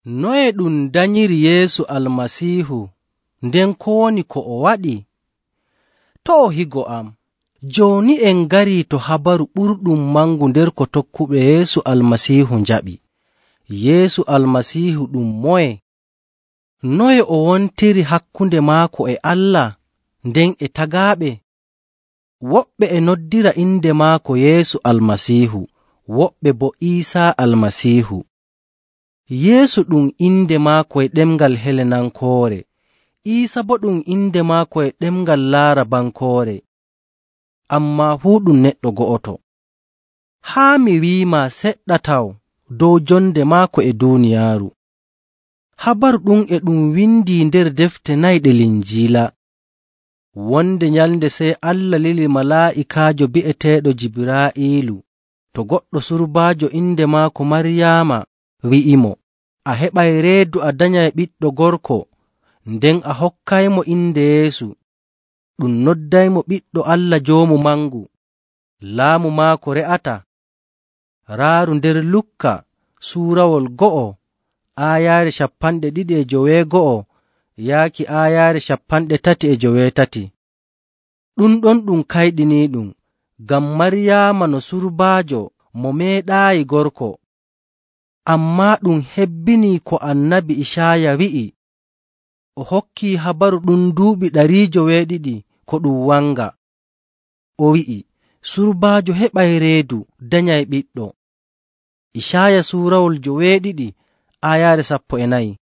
Noye ɗum danyiri Yeesu Almasiihu, nden ko woni ko o waɗi? To' o higo am. Jooni en ngarii to habaru ɓurɗum mangu nder ko tokkuɓe Yeesu Almasiihu njaɓi. Yeesu Almasiihu ɗum moye? Noye o wontiri hakkunde maako e Allah, nden e tagaaɓe? Woɓɓe e noddira inde maako Yeesu Almasiihu, woɓɓe boo Iisaa Almasiihu. Yeesu ɗum inde maako e ɗemngal Helenankoore, Iisa boo ɗum inde maako e ɗemngal Laarabankoore, ammaa fuu ɗum neɗɗo go'oto. Haa mi wi'imaa seɗɗa taw dow jonde maako e duuniyaaru. Habaru ɗum e ɗum windi nder defte 4 ɗe Linjiila. Wonde nyalnde sey Allah lili malaa'ikaajo bi'eteeɗo Jibraa'iilu to goɗɗo surbaajo inde maako Maryaama, wi'imo, a heɓay reedu a danyay ɓiɗɗo gorko, nden a hokkaymo inde Yeesu. Ɗum noddaymo ɓiɗɗo Allah Joomu Mangu. Laamu maako re'ata. Raaru nder Lukka suurawol 2 aayaare 259 yaaki aayaare 33. Ɗum ɗon ɗum kayɗiniiɗum, ngam Maryaama no surbaajo mo meeɗaayi gorko. Ammaa ɗum hebbinii ko Annabi Icaaya wi'i. O hokkii habaru ɗum duuɓi 200 ko ɗum wanga. O wi'i, surbaajo heɓay reedu danyay ɓiɗɗo. Icaaya suurawol 2 aayaare 14.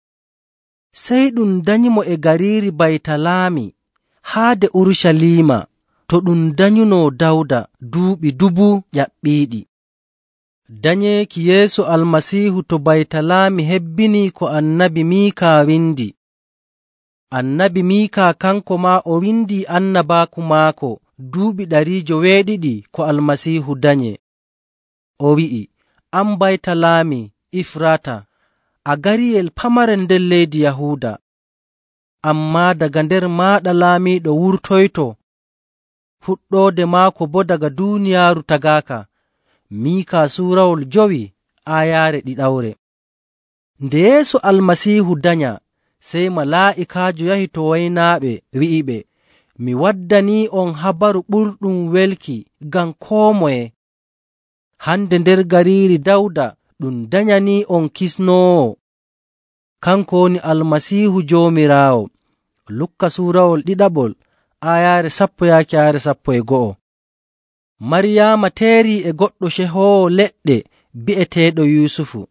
Sey ɗum danyimo e gariiri Baytalaami haade Urucaliima to ɗum danyunoo Dawda duuɓi 1000 ƴaɓɓiiɗi. Danyeeki Yeesu Almasiihu to Baytalaami hebbinii ko Annabi Miikaa windi. Annabi Miikaa kanko maa o windii annabaaku maako duuɓi 200 ko Almasiihu danye. O wi'i, an Baytalaami Ifrata, a gariyel pamarel nder leydi Yahuuda, ammaa daga nder maaɗa laamiiɗo wurtoyto, fuɗɗoode maako boo daga duuniyaaru tagaaka. Miikaa suurawol 5 aayaare 2. Nde Yeesu Almasiihu danya, sey malaa'ikaajo yahi to waynaaɓe wi'iɓe, mi waddanii'on habaru ɓurɗum welki ngam koo moye. Hande nder gariiri Dawda ɗum danyanii'on kisnoowo. Kanko woni Almasiihu Joomiraawo. Lukka suurawol 2 aayaare 10 yaaki aayaare 11. Maryaama teerii e goɗɗo cehoowo leɗɗe bi'eteeɗo Yuusufu.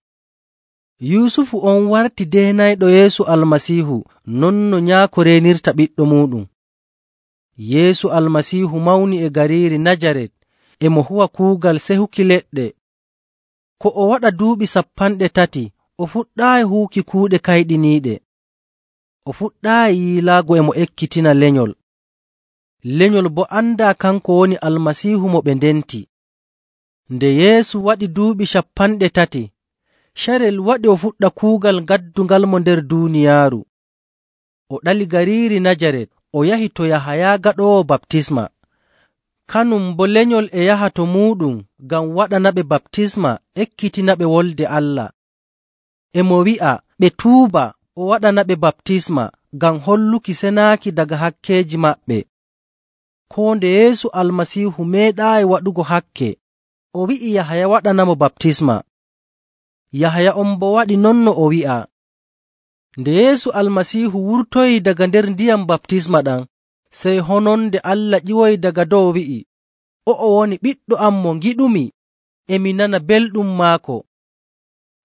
Yuusufu on warti deenayɗo Yeesu Almasiihu non no nyaako reenirta ɓiɗɗo muuɗum. Yeesu Almasiihu mawni e gariiri Najaret, e mo huwa kuugal sehuki leɗɗe. Ko o waɗa duuɓi 30, o fuɗɗaayi huwuki kuuɗe kayɗiniiɗe. O fuɗɗaayi yiilaago e mo ekkitina lenyol. Lenyol boo andaa kanko woni Almasiihu mo ɓe ndenti. Nde Yeesu waɗi duuɓi 30, carel waɗi o fuɗɗa kuugal gaddungal mo nder duuniyaaru. O ɗali gariiri Najaret, o yahi to Yahaya gaɗoowo baptisma. Kanum boo lenyol e yaha to muuɗum ngam waɗanaɓe baptisma ekkitinaɓe wolde Allah. E mo wi'a ɓe tuuba o waɗanaɓe baptisma ngam holluki senaaki daga hakkeeji maɓɓe. Koo nde Yeesu Almasiihu meeɗaayi waɗugo hakke, o wi'i Yahaya waɗanamo baptisma. Yahaya on boo waɗi non no o wi'a. Nde Yeesu Almasiihu wurtoyi daga nder ndiyam baptisma ɗam, sey hononde Allah ƴiwoyi daga dow wi'i, o'o woni ɓiɗɗo am mo ngiɗumi, e mi nana belɗum maako.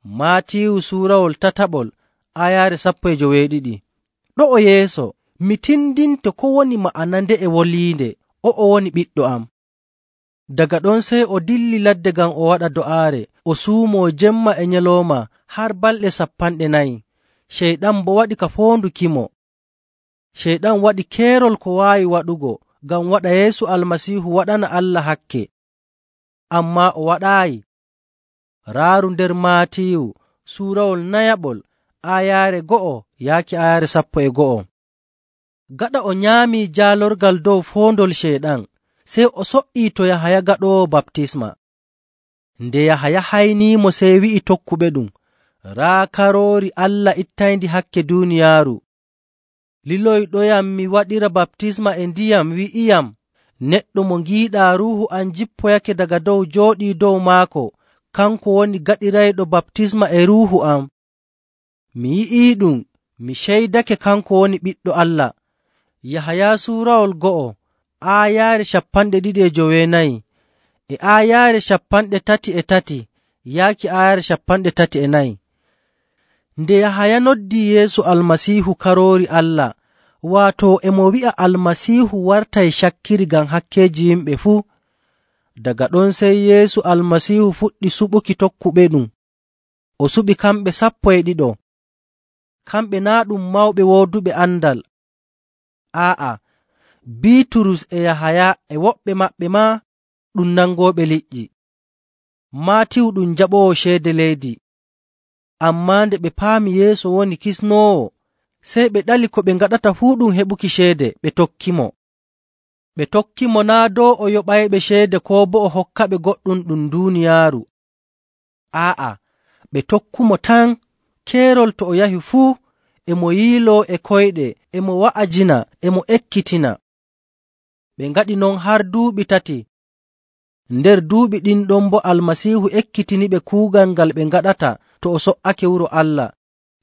Maatiiwu suurawol 3 aayaare 12. Ɗo'o yeeso mi tindinto ko woni ma'ana nde'e woliinde, o'o woni ɓiɗɗo am. Daga ɗon sey o dilli ladde ngam o waɗa do'aare, o suumoo jemma e nyalawma har balɗe 40. Ceyɗan boo waɗi ka foondukimo. Ceyɗan waɗi keerol ko waawi waɗugo ngam waɗa Yeesu Almasiihu waɗana Allah hakke, ammaa o waɗaayi. Raaru nder Maatiiwu suurawol 4 aayaare 1 yaaki aayaare 11. Gaɗa o nyaamii jaalorgal dow foondol Ceyɗan, sey o so''ii to Yahaya gaɗoowo baptisma. Nde Yahaya hayniimo, sey wi'i tokkuɓe ɗum, Raa karoori Allah ittayndi hakke duuniyaaru. Liloyɗoyam mi waɗira baptisma e ndiyam wi'iyam, neɗɗo mo ngiiɗaa Ruuhu am jippoyake daga dow jooɗii dow maako, kanko woni gaɗirayɗo baptisma e Ruuhu am. Mi yi'iiɗum, mi ceydake kanko woni Ɓiɗɗo Allah. Yahaya suurawol 2 aayaare 24 e aayaare 33 yaaki aayaare 34. Nde Yahaya noddii Yeesu Almasiihu karoori Allah, waato e mo wi'a Almasiihu wartay cakkiri ngam hakkeeji yimɓe fuu. Daga ɗon sey Yeesu Almasiihu fuɗɗi suɓuki tokkuɓeɗum. O suɓi kamɓe 12. Kamɓe naa' ɗum mawɓe wooduɓe andal. Aa'a, Biiturus e Yahaya e woɓɓe maɓɓe maa ɗum nangooɓe liƴƴi. Maatiyu ɗum jaɓoowo ceede leydi. Ammaa nde ɓe paami Yeesu woni kisnoowo, sey ɓe ɗali ko ɓe ngaɗata fuu ɗum heɓuki ceede, ɓe tokkimo. Ɓe tokkimo naa' dow o yoɓayɓe ceede koo boo o hokkaɓe goɗɗum ɗum duuniyaaru. Aa'a, ɓe tokkumo tan keerol to o yahi fuu, e mo yiiloo e koyɗe, e mo wa'ajina, e mo ekkitina. Ɓe ngaɗi non har duuɓi 3. Nder duuɓi ɗin ɗon boo Almasiihu ekkitiniɓe kuugal ngal ɓe ngaɗata to o so''ake wuro Allah,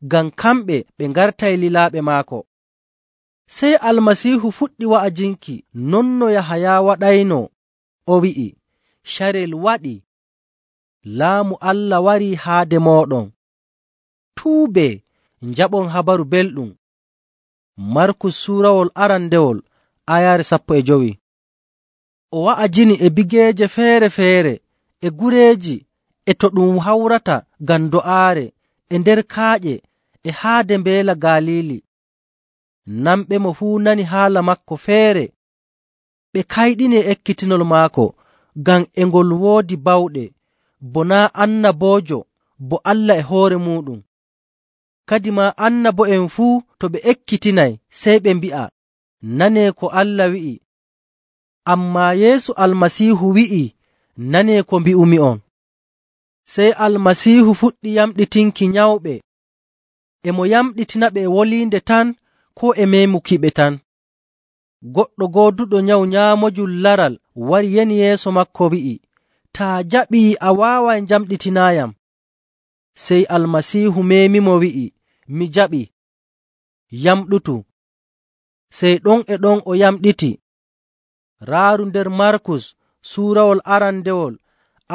ngam kamɓe ɓe ngartay lilaaɓe maako. Sey Almasiihu fuɗɗi wa'ajinki non no Yahaya waɗayno. O wi'i, carel waɗii, Laamu Allah warii haade mooɗon. Tuubee, njaɓon habaru belɗum. Markus suurawol 2 aayaare 15. O wa'ajini e bigeeje feere‑feere, e gureeji, e to ɗum hawrata ngam do'aare, e nder kaaƴe, e haade mbeela Galiili. Namɓemo fuu nani haala maako feere. Ɓe kayɗini e ekkitinol maako, ngam e ngol woodi bawɗe, bo naa' annaboojo, bo Allah e hoore muuɗum. Kadimaa annabo'en fuu to ɓe ekkitinay, sey ɓe mbi'a, nanee ko Allah wi'i. Ammaa Yeesu Almasiihu wi'i, nanee ko mbi'umi'on. Sey Almasiihu fuɗɗi yamɗitinki nyawɓe. E mo yamɗitinaɓe e woliinde tan, koo e meemukiɓe tan. Goɗɗo gooduɗo nyawu nyaamojum laral wari yani yeeso maako wi'i, taa jaɓii a waaway njamɗitinaayam. Sey Almasiihu meemimo wi'i, mi jaɓi, yamɗutu. Sey ɗon e ɗon o yamɗiti. Raaru nder Markus suurawol 2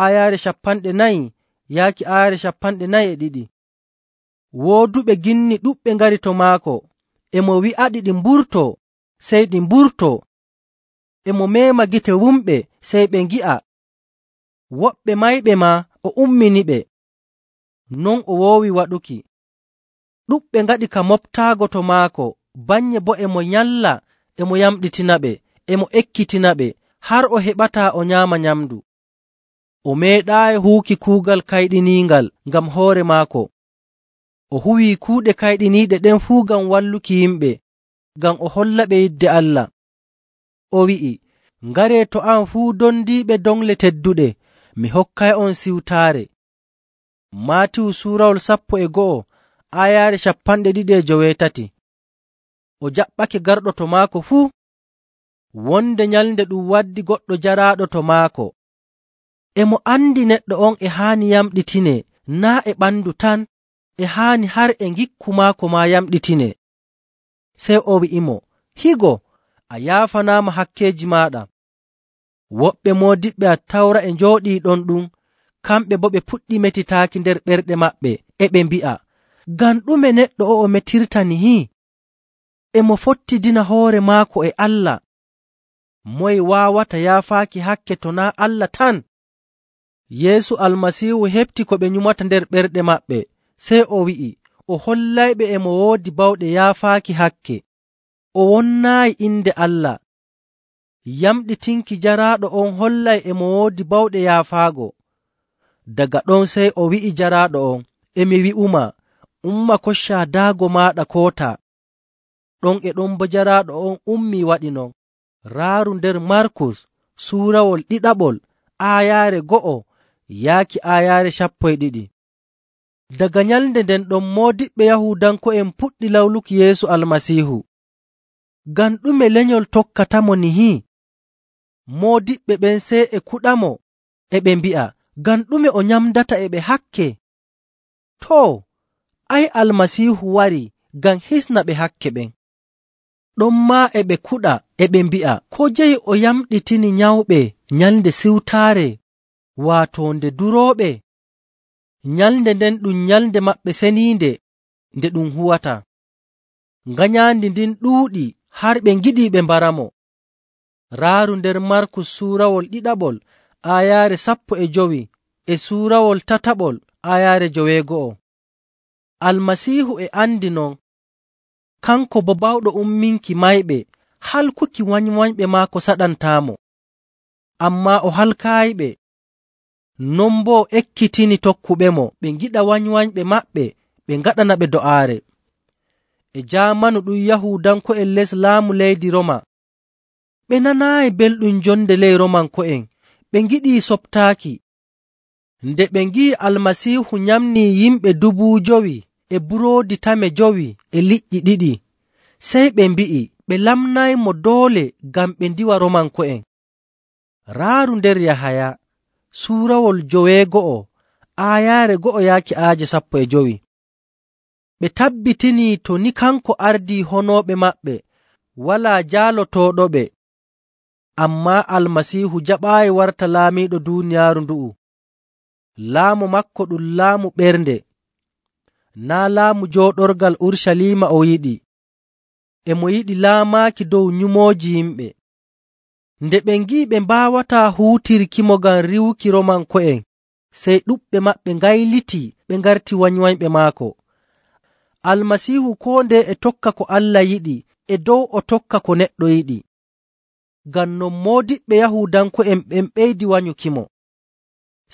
aayaare 40 yaaki aayaare 42. Wooduɓe ginni ɗuɗɓe ngari to maako, e mo wi'aɗi ɗi mburtoo, sey ɗi mburtoo. E mo meema gite wumɓe, sey ɓe ngi'a. Woɓɓe mayɓe maa o umminiɓe. Non o woowi waɗuki. Ɗuɗɓe ngaɗi ka moɓtaago to maako, bannye boo e mo nyalla, e mo yamɗitinaɓe, e mo ekkitinaɓe, har o heɓataa o nyaama nyamndu. O meeɗaayi huwuki kuugal kayɗiniingal ngam hoore maako. O huwii kuuɗe kayɗiniiɗe ɗen fuu ngam walluki yimɓe, ngam o hollaɓe yidde Allah. O wi'i, ngaree to am fuu dondiiɓe dongle tedduɗe, mi hokkay'on siwtaare. Maatiyu suurawol 11 aayaare 28. O jaɓɓake garɗo to maako fuu. Wonde nyalnde ɗum waddi goɗɗo jaraaɗo to maako. E mo andi neɗɗo on e haani yamɗitine, naa' e ɓandu tan, e haani har e ngikku maako maa yamɗitine. Sey o wi'imo, higo, a yaafanaama hakkeeji maaɗa. Woɓɓe moodiɓɓe Attawra e njooɗii ɗon ɗum, kamɓe boo ɓe puɗɗi metitaaki nder ɓerɗe maɓɓe, e ɓe mbi'a, ngam ɗume neɗɗo o'o metirta nihi? E mo fottidina hoore maako e Allah. Moye waawata yaafaaki hakke to naa' Allah tan? Yeesu Almasiihu heɓti ko ɓe nyumata nder ɓerɗe maɓɓe, sey o wi'i, o hollayɓe e mo woodi bawɗe yaafaaki hakke. O wonnaayi inde Allah. Yamɗitinki jaraaɗo on hollay e mo woodi bawɗe yaafaago. Daga ɗon sey o wi'i jaraaɗo on, e mi wi'uma, umma koccaa daago maaɗa kootaa. Ɗon e ɗon bo jaraaɗo on ummii waɗi non. Raaru nder Markus suurawol 2 aayaare 1 yaaki aayaare 12. Daga nyalnde nden ɗon moodiɓɓe Yahuudanko'en puɗɗi lawluki Yeesu Almasiihu. Ngam ɗume lenyol tokkatamo nihi? Moodiɓɓe ɓen sey e kuɗamo, e ɓe mbi'a, ngam ɗume o nyamdata e ɓe hakke? Too, Almasiihu warii ngam hisna ɓe hakke ɓen. Ɗonmaa e ɓe kuɗa e ɓe mbi'a, ko jeyi o yamɗitini nyawɓe nyalnde siwtaare, waato nde durooɓe? Nyalnde nden ɗum nyalnde maɓɓe seniinde nde ɗum huwata. Nganyaandi ndin ɗuuɗi har ɓe ngiɗii ɓe mbaramo. Raaru nder Markus suurawol ɗiɗaɓol aayaare 15 e suurawol tataɓol aayaare 9. Almasiihu e andi non, kanko bo bawɗo umminki mayɓe, halkuki wanywanyɓe maako saɗantaamo. Ammaa o halkaayiɓe. Non boo ekkitini tokkuɓemo ɓe ngiɗa wanywanyɓe maɓɓe ɓe ngaɗana ɓe do'aare. E jaamanu ɗum Yahuudanko'en les laamu leydi Roma, ɓe nanaayi belɗum jonde ley Romanko'en, ɓe ngiɗii soɓtaaki. Nde ɓe ngi'i Almasiihu nyamnii yimɓe 5,000 e buroodi tame 5 e liƴƴi 2, sey ɓe mbi'i ɓe lamnaymo doole ngam ɓe ndiwa Romanko'en. Raaru nder Yahaya suurawol 9 aayaare 1-15. Ɓe tabbitinii to ni kanko ardii honooɓe maɓɓe, walaa jaalotooɗoɓe. Ammaa Almasiihu jaɓaayi warta laamiiɗo duuniyaaru ndu'u. Laamu maako ɗum laamu ɓernde, naa laamu jooɗorgal Urucaliima o yiɗi. E mo yiɗi laamaaki dow nyumooji yimɓe. Nde ɓe ngi'i ɓe mbaawataa huutirkimo ngam riiwuki Romanko'en, sey ɗuɗɓe maɓɓe ngayliti ɓe ngarti wanywanyɓe maako. Almasiihu koo ndeye e tokka ko Allah yiɗi e dow o tokka ko neɗɗo yiɗi. Ngam non moodiɓɓe Yahuudanko'en ɓen ɓeydi wanyukimo.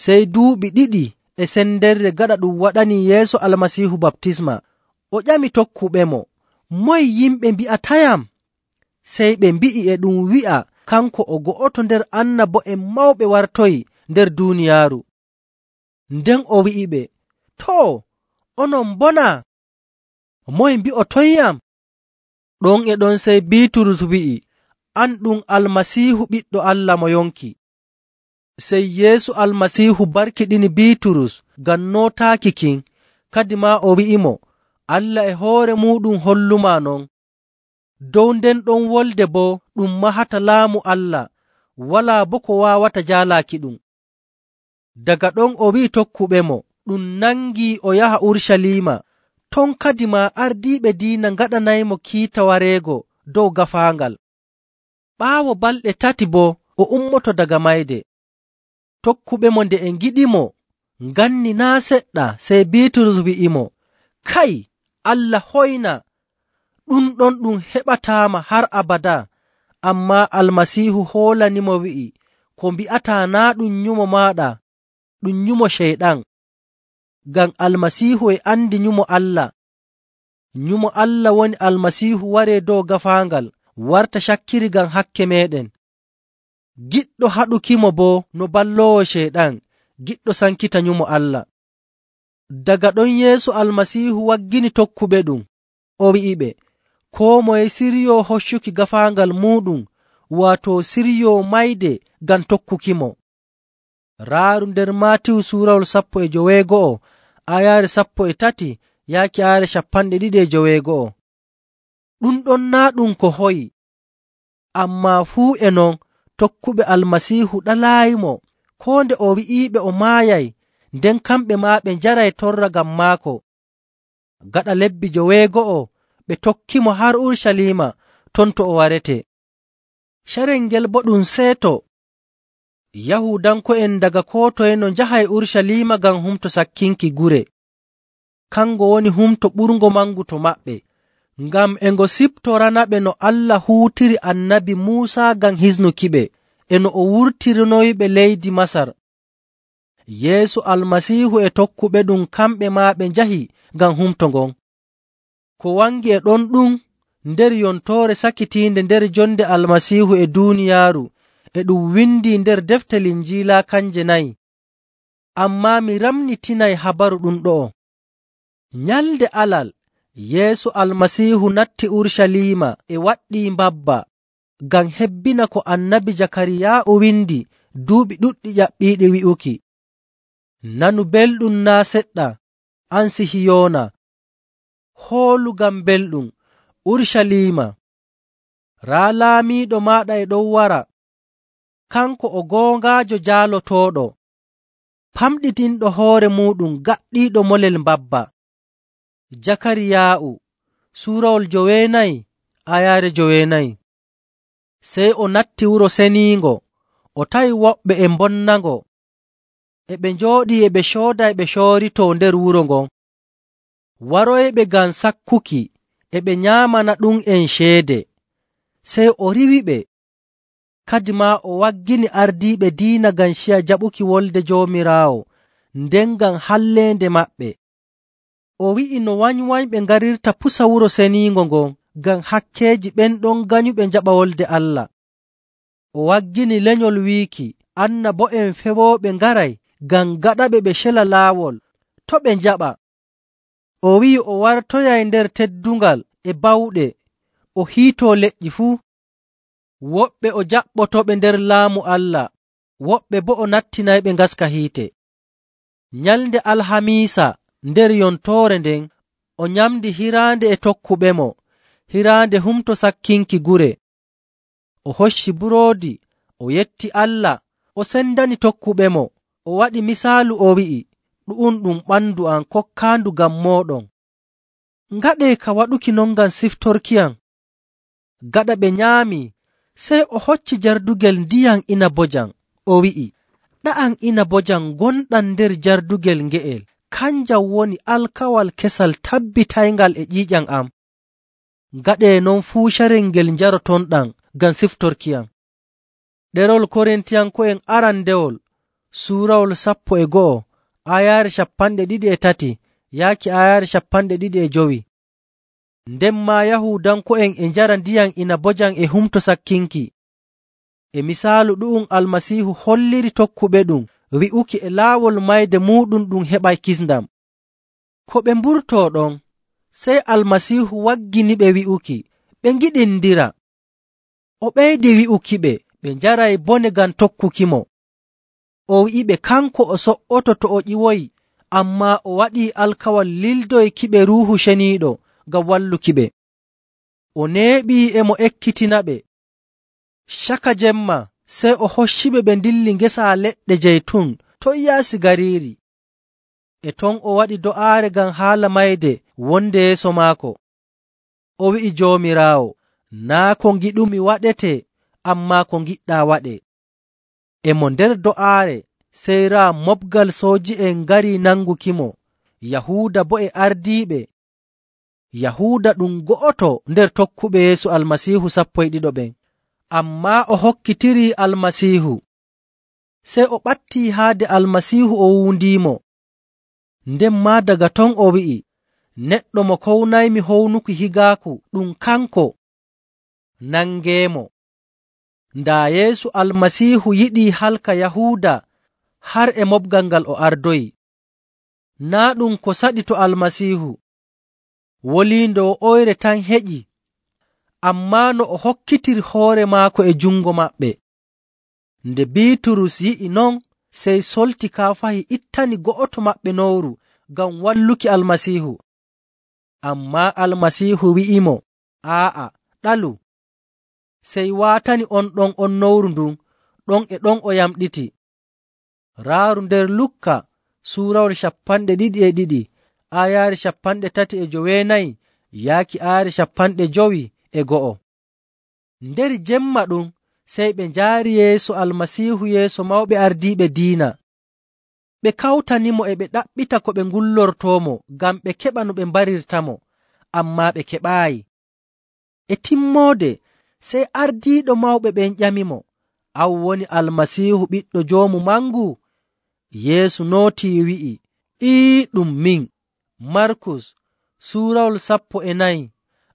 Sey duuɓi 2 e sendere gaɗa ɗum waɗanii Yeesu Almasiihu baptisma, o ƴami tokkuɓemo, “Moye yimɓe mbi'atayam?” Sey ɓe mbi'i e ɗum wi'a kanko o go'oto nder annabo'en mawɓe wartoyi nder duuniyaaru. Nden o wi'iɓe, “Too, onon bonaa? Moye mbi'otoyyam?” Ɗon e ɗon sey Biiturus wi'i, “An ɗum Almasiihu ɓiɗɗo Allah mo yonki.” Sey Yeesu Almasiihu barkiɗini Biiturus ngam nootaaki kin, kadimaa o wi'imo, “Allah e hoore muuɗum hollumaa non.” Dow nden ɗon wolde boo ɗum mahata laamu Allah, walaa boo ko waawata jaalaaki ɗum. Daga ɗon o wi'i tokkuɓemo ɗum nangii o yaha Urucaliima, ton kadimaa ardiiɓe diina ngaɗanaymo kiita wareego dow gaafaangal. Ɓaawo balɗe 3 boo o ummoto daga mayde. Tokkuɓemo nde e ngiɗimo nganni naa' seɗɗa, sey Biiturus wi'imo, “Kay, Allah hoyna, ɗum ɗon ɗum heɓataama har abadaa.” Ammaa Almasiihu hoolanimo wi'i, “Ko mbi'ataa naa' ɗum nyumo maaɗa, ɗum nyumo Ceyɗan.” Ngam Almasiihu e andi nyumo Allah. Nyumo Allah woni Almasiihu waree dow gaafaangal warta cakkiri ngam hakke meeɗen. Giɗɗo haɗukimo boo no balloowo Ceyɗan, giɗɗo sankita nyumo Allah. Daga ɗon Yeesu Almasiihu waggini tokkuɓe ɗum, o wi'iɓe, koo moye siryoo hoccuki gaafaangal muuɗum, waato siryoo mayde ngam tokkukimo. Raaru nder Maatiyu suurawol 19 aayaare 13-21. Ɗum ɗon naa' ɗum ko hoyi. Ammaa fuu e non tokkuɓe Almasiihu ɗalaayimo, koo nde o wi'iiɓe o maayay, nden kamɓe maa ɓe njaray torra ngam maako. Gaɗa lebbi 9 ɓe tokkimo har Urucaliima, ton to o warete. Carel ngel boo ɗum seeto. Yahuudanko'en daga koo toye no njahay Urucaliima ngam humto sakkinki gure. Kango woni humto ɓurngo mangu to maɓɓe, ngam e ngo siftoranaɓe no Allah huutiri annabi Muusa ngam hisnukiɓe, e no o wurtirinoyiɓe leydi Masar. Yeesu Almasiihu e tokkuɓe ɗum kamɓe maa ɓe njahi ngam humto ngon. Ko wangi e ɗon ɗum nder yontoore sakitiinde nder jonde Almasiihu e duuniyaaru e ɗum windi nder defte Linjiila kanje 4. Ammaa mi ramnitinay habaru ɗum ɗo'o. Nyalnde Alal, Yeesu Almasiihu natti Urucaliima e waɗɗii mbabba ngam hebbina ko Annabi Jakariyaa'u windi duuɓi ɗuɗɗi ƴaɓɓiiɗi wi'uki, “Nanu belɗum naa' seɗɗa, an Sihiyoona. Hoolu ngam belɗum, Urucaliima. Raa laamiiɗo maaɗa e ɗon wara, kanko o goongaajo jaalotooɗo, famɗitinɗo hoore muuɗum gaɗɗiiɗo molel mbabba.” Jakariyaa'u suurawol 9 ayaare 9. Sey o natti wuro seniingo, o tawi woɓɓe e mbonnango, e ɓe njooɗii e ɓe cooda e ɓe cooritoo nder wuro ngon. Waroyɓe ngam sakkuki e ɓe nyaamana ɗum'en ceede. Sey o riwiɓe. Kadimaa o waggini ardiiɓe diina ngam ciya jaɓuki wolde Joomiraawo, nden ngam halleende maɓɓe. O wi'i no wanywanyɓe ngarirta pusa wuro seniingo ngon ngam hakkeeji ɓen ɗon ganyuɓe njaɓa wolde Allah. O waggini lenyol wiiki annabo'en fewooɓe ngaray ngam gaɗaɓe ɓe cela laawol to' ɓe njaɓa. O wi'i o wartoyay nder teddungal e bawɗe, o hiitoo leƴƴi fuu. Woɓɓe o jaɓɓotoɓe nder laamu Allah, woɓɓe boo o nattinayɓe ngaska hiite. Nyalnde Alhamiisa nder yontoore nden, o nyamdi hiraande e tokkuɓemo, hiraande humto sakkinki gure. O hocci buroodi, o yetti Allah, o sendani tokkuɓemo, o waɗi misaalu o wi'i, “Ɗu'um ɗum ɓandu am kokkaandu ngam mooɗon. Ngaɗee ka waɗuki non ngam siftorkiyam.” Gaɗa ɓe nyaami, sey o hocci jardugel ndiyam inabojam, o wi'i, “Ɗa'am inabojam gonɗam nder jardugel nge'el, kanjam woni alkawal kesal tabbitayngal e ƴiiƴam am. Ngaɗee non fuu carel ngel njarotonɗam ngam siftorkiyam.” Ɗerewol Korintiyanko'en arandewol suurawol 11 ayaare 23 yaaki ayaare 25. Nden maa Yahuudanko'en e njara ndiyam inabojam e humto sakkinki. E misaalu ɗu'um Almasiihu holliri tokkuɓe ɗum wi'uki e laawol mayde muuɗum ɗum heɓay kisndam. Ko ɓe mburtoo ɗon, sey Almasiihu wagginiɓe wi'uki ɓe ngiɗindira. O ɓeydi wi'ukiɓe ɓe njaray bone ngam tokkukimo. O wi'iɓe kanko o so''oto to o ƴiwoyi, ammaa o waɗii alkawal lildoykiɓe Ruuhu Ceniiɗo ngam wallukiɓe. O neeɓii e mo ekkitinaɓe. Caka jemma sey o hocciɓe ɓe ndilli ngesa leɗɗe jeytun ton yaasi gariiri. E ton o waɗi do'aare ngam haala mayde wonde yeeso maako. O wi'i Joomiraawo, “Naa' ko ngiɗumi waɗetee, ammaa ko ngiɗɗaa waɗee.” E mo nder do'aare, sey raa moɓgal sooji'en ngarii nangukimo, Yahuuda boo e ardiiɓe. Yahuuda ɗum go'oto nder tokkuɓe Yeesu Almasiihu 12 ɓen, ammaa o hokkitirii Almasiihu. Sey o ɓattii haade Almasiihu o wuundiimo. Nden maa daga ton o wi'i, “Neɗɗo mo kownaymi hownuki higaaku ɗum kanko. Nangeemo.” Ndaa Yeesu Almasiihu yiɗii halka Yahuuda har e moɓgal ngal o ardoyi. Naa' ɗum ko saɗi to Almasiihu. Woliinde wo'oyre tan heƴi, ammaa no o hokkitiri hoore maako e jungo maɓɓe. Nde Biiturus yi'i non, sey solti kaafahi ittani go'oto maɓɓe nowru ngam walluki Almasiihu. Ammaa Almasiihu wi'imo, “Aa'a, ɗalu.” Sey waatani on ɗon on nowru ndun, ɗon e ɗon o yamɗiti. Raaru nder Lukka suurawol 22 ayaare 34 yaaki ayaare 51. Nder jemma ɗum sey ɓe njaari Yeesu Almasiihu yeeso mawɓe ardiiɓe diina. Ɓe kawtanimo e ɓe ɗaɓɓita ko ɓe ngullortoomo ngam ɓe keɓa no ɓe mbarirtamo, ammaa ɓe keɓaayi. E timmoode sey ardiiɗo mawɓe ɓen ƴamimo, “An woni Almasiihu ɓiɗɗo Joomu Mangu?” Yeesu nootii wi'i, “Ɗum min.” Markus suurawol 14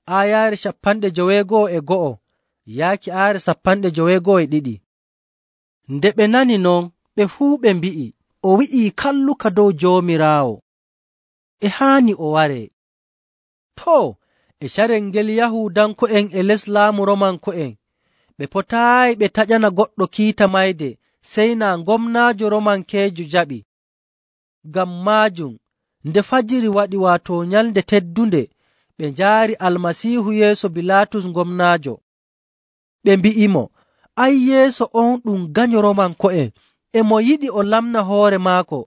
ayaare 51 yaaki ayaare 52. Nde ɓe nani non, ɓe fuu ɓe mbi'i, “O wi'ii kalluka dow Joomiraawo.” e haani o waree. Too, e carel ngel Yahuudanko'en e les laamu Romanko'en ɓe potaayi ɓe taƴana goɗɗo kiita mayde sey naa gomnaajo Romankeejo jaɓi. Ngam maajum nde fajiri waɗi, waato nyalnde teddunde, ɓe njaari Almasiihu yeeso Bilaatus gomnaajo. Ɓe mbi'imo, “Ay, yeeso on ɗum ganyo Romanko'en, e mo yiɗi o lamna hoore maako.”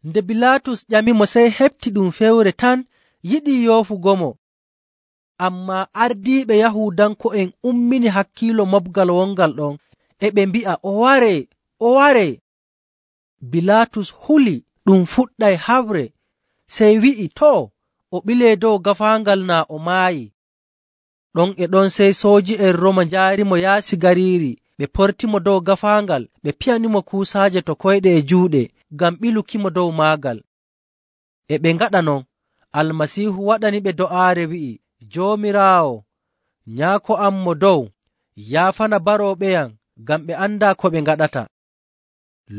Nde Bilaatus ƴamimo, sey heɓti ɗum fewre tan yiɗii yoofugomo. Ammaa ardiiɓe Yahuudanko'en ummini hakkiilo moɓgal wongal ɗon, e ɓe mbi'a, “O waree! O waree!” Bilaatus huli ɗum fuɗɗay haɓre, sey wi'i, “Too, o ɓilee dow gaafaangal naa o maayi.” Ɗon e ɗon sey sooji'en Rooma njaarimo yaasi gariiri, ɓe portimo dow gaafaangal, ɓe piyanimo kuusaaje to koyɗe e juuɗe ngam ɓilukimo dow maagal. E ɓe ngaɗa non, Almasiihu waɗaniɓe do'aare wi'i, “Joomiraawo, Nyaako am mo dow, yaafana barooɓeyam, ngam ɓe andaa ko ɓe ngaɗata.”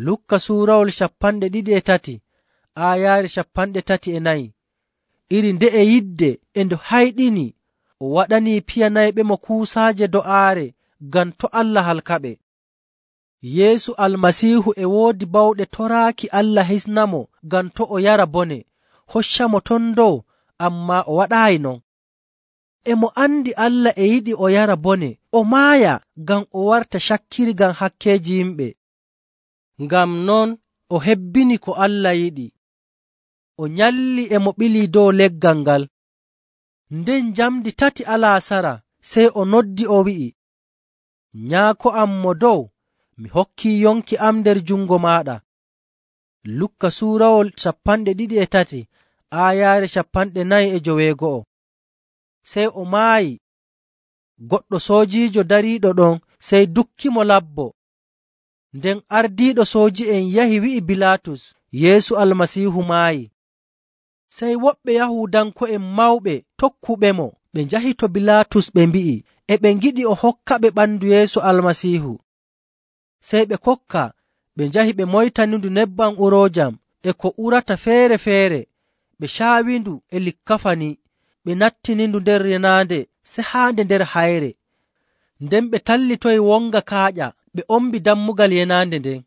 Lukka suurawol 23 aayaare 34. Iri nde'e yidde e nde hayɗini, o waɗanii piyanayɓemo kuusaaje do'aare ngam to' Allah halkaɓe. Yeesu Almasiihu e woodi bawɗe toraaki Allah hisnamo ngam to' o yara bone, hoccamo ton dow, ammaa o waɗaayi non. E mo andi Allah e yiɗi o yara bone, o maaya ngam o warta cakkirgam hakkeeji yimɓe. Ngam non o hebbini ko Allah yiɗi. O nyalli e mo ɓilii dow leggal ngal. Nden njamdi 3 alaasara sey o noddi o wi'i, “Nyaako am mo dow, mi hokkii yonki am nder jungo maaɗa.” Lukka suurawol 23 aayaare 49. Sey o maayi. Goɗɗo soojiijo dariiɗo ɗon sey dukkimo labbo. Nden ardiiɗo sooji'en yahi wi'i Bilaatus, Yeesu Almasiihu maayi. Sey woɓɓe Yahuudanko'en mawɓe tokkuɓemo ɓe njahi to Bilaatus ɓe mbi'i e ɓe ngiɗi o hokkaɓe ɓandu Yeesu Almasiihu. Sey ɓe kokka, ɓe njahi ɓe moytanindu nebbam uroojam e ko urata feere‑feere, ɓe caawindu e likkafani, ɓe nattinindu nder yenaande sehaande nder hayre. Nden ɓe tallitoyi wonga kaaƴa, ɓe ombi dammugal yenaande nden.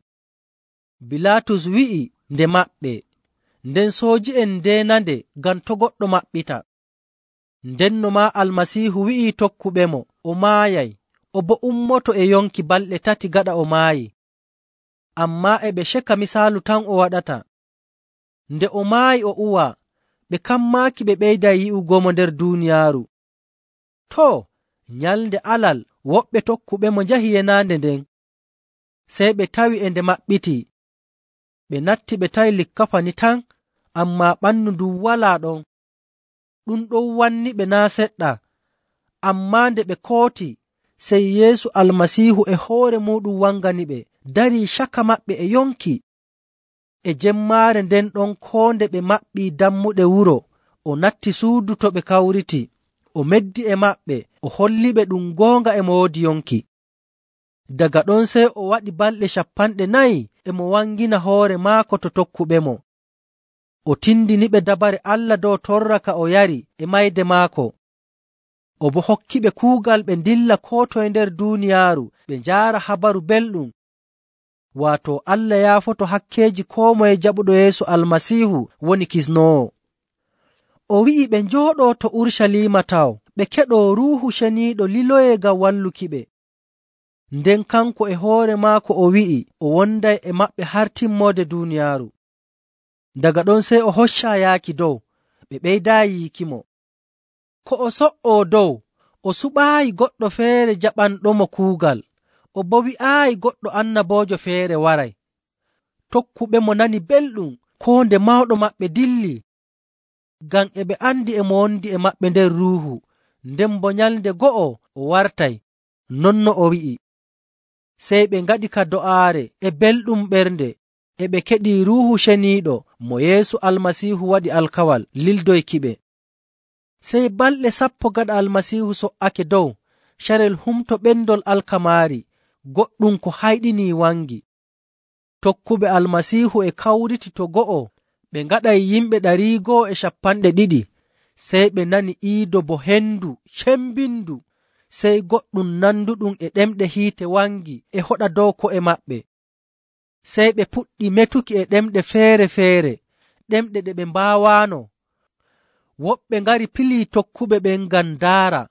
Bilaatus wi'i nde maɓɓe, nden sooji'en ndeenande ngam to' goɗɗo maɓɓita. Ndenno maa Almasiihu wi'i tokkuɓemo o maayay, o boo ummoto e yonki balɗe 3 gaɗa o maayi. Ammaa e ɓe ceka misaalu tan o waɗata. Nde o maayi o uwa, ɓe kammaaki ɓe ɓeyday yi'ugomo nder duuniyaaru. Too, nyalnde Alal woɓɓe tokkuɓemo njahi yenaande nden. Sey ɓe tawi e nde maɓɓiti. Ɓe natti ɓe tawi likkafani tan, ammaa ɓandu ndun walaa ɗon. Ɗum ɗon wanniɓe naa' seɗɗa. Ammaa nde ɓe kooti, sey Yeesu Almasiihu e hoore muuɗum wanganiɓe, darii caka maɓɓe e yonki. E jemmaare nden ɗon koo nde ɓe maɓɓii dammuɗe wuro, o natti suudu to ɓe kawriti, o meddi e maɓɓe, o holliɓe ɗum goonga e mo woodi yonki. Daga ɗon sey o waɗi balɗe 40 e mo wangina hoore maako to tokkuɓemo. O tindiniɓe dabare Allah dow torra ka o yari e mayde maako. O boo hokkiɓe kuugal ɓe ndilla koo toye nder duuniyaaru ɓe njaara habaru belɗum. Waato Allah yaafoto hakkeeji koo moye jaɓuɗo Yeesu Almasiihu woni kisnoowo. O wi'i ɓe njooɗoo to Urucaliima taw, ɓe keɗoo Ruuhu Ceniiɗo liloyee ngam wallukiɓe. Nden kanko e hoore maako o wi'i o wonday e maɓɓe har timmoode duuniyaaru. Daga ɗon sey o hoccaa yaaki dow, ɓe ɓeydaayi yiikimo. Ko o so''oo dow, o suɓaayi goɗɗo feere jaɓanɗomo kuugal, o boo wi'aayi goɗɗo annaboojo feere waray. Tokkuɓemo nani belɗum koo nde mawɗo maɓɓe dilli, ngam e ɓe andi e mo wondi e maɓɓe nder Ruuhu, nden boo nyalnde go'o o wartay, non no o wi'i. Sey ɓe ngaɗi ka do'aare e belɗum ɓernde, e ɓe keɗii Ruuhu Ceniiɗo mo Yeesu Almasiihu waɗi alkawal lildoykiɓe. Sey balɗe 10 gaɗa Almasiihu so''ake dow, carel humto ɓendol alkamaari, goɗɗum ko hayɗinii wangi. Tokkuɓe Almasiihu e kawriti to go'o, Ɓe ngaɗay yimɓe 250. Sey ɓe nani iido bo hendu cembindu, sey goɗɗum nanduɗum e ɗemɗe hiite wangi e hoɗa dow ko'e maɓɓe. Sey ɓe puɗɗi metuki e ɗemɗe feere‑feere, ɗemɗe ɗe ɓe mbaawaano. Woɓɓe ngari pilii tokkuɓe ɓen ngam ndaara,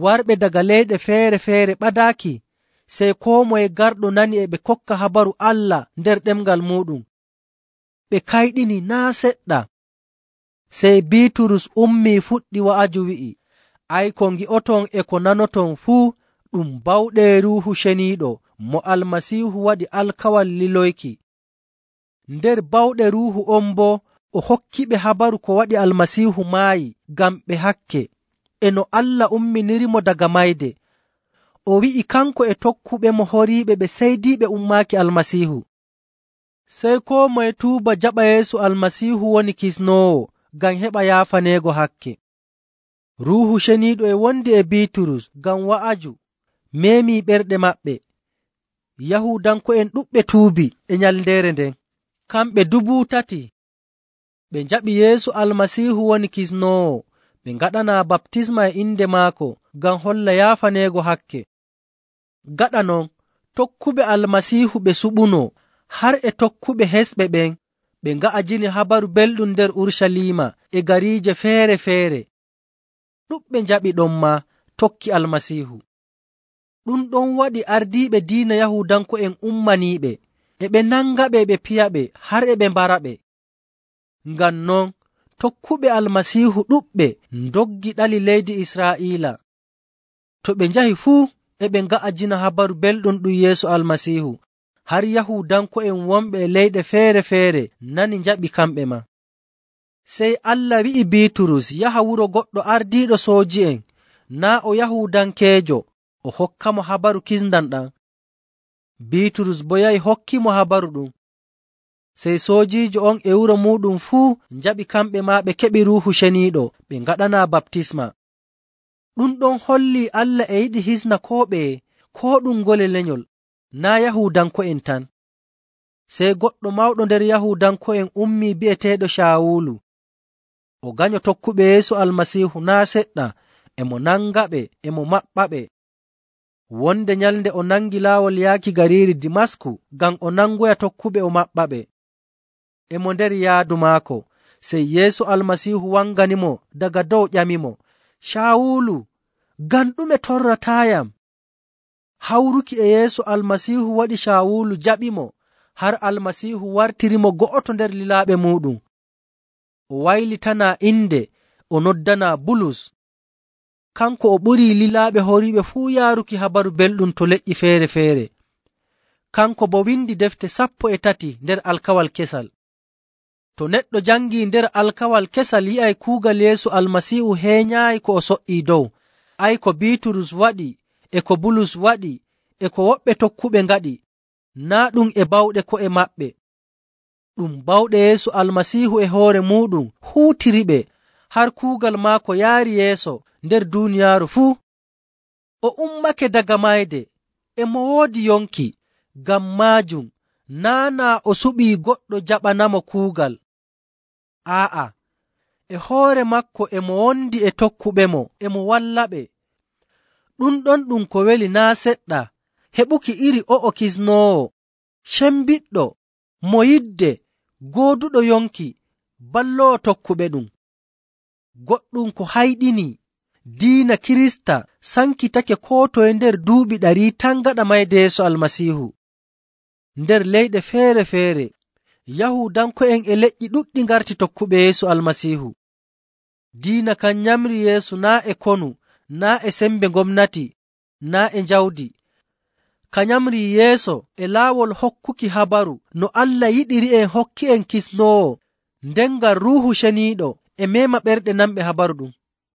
warɓe daga leyɗe feere‑feere ɓadaaki. Sey koo moye garɗo nani e ɓe kokka habaru Allah nder ɗemngal muuɗum. Ɓe kayɗini naa' seɗɗa. Sey Biiturus ummii fuɗɗi wa'aju wi'i, “Ay, ko ngi'oton e ko nanoton fuu ɗum bawɗe Ruuhu Ceniiɗo mo Almasiihu waɗi alkawal liloyki. Nder bawɗe Ruuhu on boo o hokkiɓe habaru ko waɗi Almasiihu maayi ngam ɓe hakke, e no Allah umminirimo daga mayde. O wi'i kanko e tokkuɓemo horiiɓe ɓe seydiiɓe ummaaki Almasiihu. Sey koo moye tuuba jaɓa Yeesu Almasiihu woni kisnoowo ngam heɓa yaafaneego hakke.” Ruuhu Ceniiɗo e wondi e Biiturus ngam wa'aju meemii ɓerɗe maɓɓe. Yahuudanko'en ɗuɗɓe tuubi e nyalndeere nden, kamɓe 3,000. Ɓe njaɓi Yeesu Almasiihu woni kisnoowo, ɓe ngaɗanaa baptisma e inde maako ngam holla yaafaneego hakke. Gaɗa non, tokkuɓe Almasiihu ɓe suɓunoo, har e tokkuɓe hesɓe ɓen, ɓe nga'ajini habaru belɗum nder Urucaliima e gariije feere‑feere. Ɗuɗɓe njaɓi ɗon maa tokki Almasiihu. Ɗum ɗon waɗi ardiiɓe diina Yahuudanko'en ummaniiɓe, e ɓe nangaɓe ɓe piyaɓe har e ɓe mbaraɓe. Ngam non, tokkuɓe Almasiihu ɗuɗɓe ndoggi ɗali leydi Israa'iila. To ɓe njahi fuu e ɓe nga'ajina habaru belɗum ɗum Yeesu Almasiihu, har Yahuudanko'en wonɓe e leyɗe feere‑feere nani njaɓi kamɓe maa. Sey Allah wi'i Biiturus yaha wuro goɗɗo ardiiɗo sooji'en, naa' o Yahuudankeejo, o hokkamo habaru kisndam ɗam. Biiturus boo yahi hokkimo habaru ɗum. Sey soojiijo on e wuro muuɗum fuu njaɓi kamɓe maa ɓe keɓi Ruuhu Ceniiɗo ɓe ngaɗanaa baptisma. Ɗum ɗon hollii Allah e yiɗi hisna koo ɓeye, koo ɗum ngole lenyol, naa' Yahuudanko'en tan. Sey goɗɗo mawɗo nder Yahuudanko'en ummii bi'eteeɗo Caawulu. O ganyo tokkuɓe Yeesu Almasiihu naa' seɗɗa, e mo nangaɓe e mo maɓɓaɓe. Wonde nyalnde o nangi laawol yaaki gariiri Dimasku ngam o nangoya tokkuɓe o maɓɓaɓe. E mo nder yaadu maako, sey Yeesu Almasiihu wanganimo daga dow ƴamimo, “Caawulu, ngam ɗume torrataayam?” Hawruki e Yeesu Almasiihu waɗi Caawulu jaɓimo, har Almasiihu wartirimo go'oto nder lilaaɓe muuɗum. O waylitanaa inde, o noddanaa Bulus. Kanko o ɓurii lilaaɓe horiiɓe fuu yaaruki habaru belɗum to leƴƴi feere‑feere. Kanko boo windi defte 13 nder alkawal kesal. To neɗɗo jangii nder alkawal kesal yi'ay kuugal Yeesu Almasiihu heenyaayi ko o so''ii dow. Ay, ko Biiturus waɗi, e ko Bulus waɗi, e ko woɓɓe tokkuɓe ngaɗi, naa' ɗum e bawɗe ko'e maɓɓe. Ɗum bawɗe Yeesu Almasiihu e hoore muuɗum huutiriɓe, har kuugal maako yaari yeeso nder duuniyaaru fuu. O ummake daga mayde, e mo woodi yonki. Ngam maajum naa' o suɓii goɗɗo jaɓanamo kuugal. Aa'a, e hoore maako e mo wondi e tokkuɓemo, e mo wallaɓe. Ɗum ɗon ɗum ko weli naa' seɗɗa heɓuki iri o'o kisnoowo, cembiɗɗo, mo yidde, gooduɗo yonki, balloowo tokkuɓe ɗum. Goɗɗum ko hayɗini, diina Kirista sankitake koo toye nder duuɓi 100 tan gaɗa mayde Yeesu Almasiihu. Nder leyɗe feere‑feere, Yahuudanko'en e leƴƴi ɗuɗɗi ngarti tokkuɓe Yeesu Almasiihu. Diina kan nyamri Yeesu naa' e konu, naa' e sembe gomnati, naa' e njawdi. Ka nyamri yeeso e laawol hokkuki habaru no Allah yiɗiri en hokki en kisnoowo, nden ngam Ruuhu Ceniiɗo e meema ɓerɗe nanɓe habaru ɗum.